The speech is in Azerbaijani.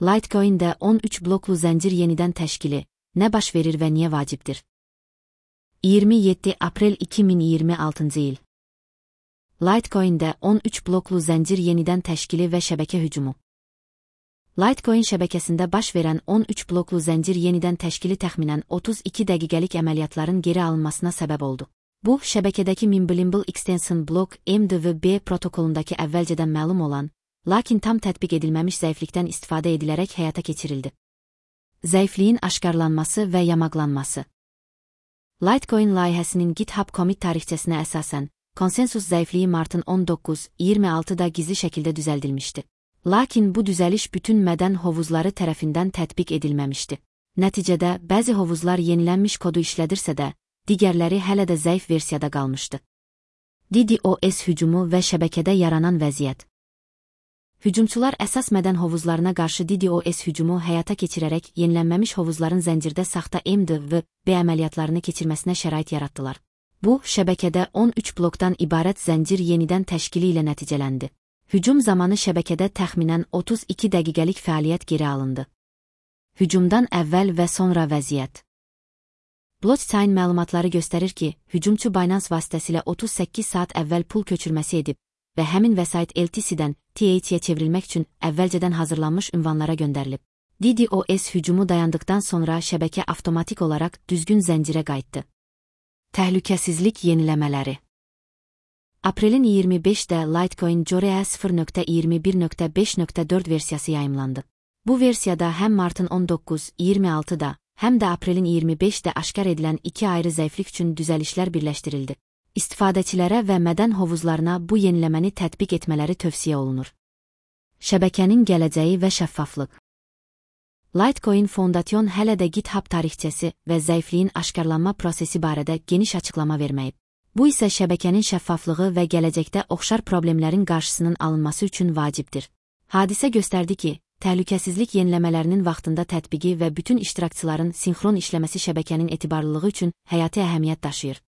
Litecoin'də 13 bloklu zəncir yenidən təşkili, nə baş verir və niyə vacibdir? 27 aprel 2026 il. Litecoin'də 13 bloklu zəncir yenidən təşkili və şəbəkə hücumu. Litecoin şəbəkəsində baş verən 13 bloklu zəncir yenidən təşkili təxminən 32 dəqiqəlik əməliyyatların geri alınmasına səbəb oldu. Bu, şəbəkədəki Mimblewimble Extension Block MDWB protokolundakı əvvəlcədən məlum olan, lakin tam tətbiq edilməmiş zəiflikdən istifadə edilərək həyata keçirildi. Zəifliyin aşkarlanması və yamaqlanması. Litecoin layihəsinin GitHub commit tarixçəsinə əsasən, konsensus zəifliyi martın 19-26-da gizli şəkildə düzəldilmişdi. Lakin bu düzəliş bütün mədən hovuzları tərəfindən tətbiq edilməmişdi. Nəticədə, bəzi hovuzlar yenilənmiş kodu işlədirsə də, digərləri hələ də zəif versiyada qalmışdı. DDoS hücumu və şəbəkədə yaranan vəziyyət. Hücumçular əsas mədən hovuzlarına qarşı DDoS hücumu həyata keçirərək yenilənməmiş hovuzların zəncirdə saxta MDWB əməliyyatlarını keçirməsinə şərait yaratdılar. Bu, şəbəkədə 13 blokdan ibarət zəncir yenidən təşkili ilə nəticələndi. Hücum zamanı şəbəkədə təxminən 32 dəqiqəlik fəaliyyət geri alındı. Hücumdan əvvəl və sonra vəziyyət. Blockchain məlumatları göstərir ki, hücumçu Binance vasitəsilə 38 saat əvvəl pul köçürməsi edib və həmin vəsait LTC-dən TH'yə çevrilmək üçün əvvəlcədən hazırlanmış ünvanlara göndərilib. DDoS hücumu dayandıqdan sonra şəbəkə avtomatik olaraq düzgün zəncirə qayıtdı. Təhlükəsizlik yeniləmələri. Aprelin 25-də Litecoin Jorea 0.21.5.4 versiyası yayımlandı. Bu versiyada həm martın 19-26-da, həm də aprelin 25-də aşkar edilən iki ayrı zəiflik üçün düzəlişlər birləşdirildi. İstifadəçilərə və mədən hovuzlarına bu yeniləməni tətbiq etmələri tövsiyə olunur. Şəbəkənin gələcəyi və şəffaflıq. Litecoin Foundation hələ də GitHub tarixçəsi və zəifliyin aşkarlanma prosesi barədə geniş açıqlama verməyib. Bu isə şəbəkənin şəffaflığı və gələcəkdə oxşar problemlərin qarşısının alınması üçün vacibdir. Hadisə göstərdi ki, təhlükəsizlik yeniləmələrinin vaxtında tətbiqi və bütün iştirakçıların sinxron işləməsi şəbəkənin etibarlılığı üçün həyati əhəmiyyət daşıyır.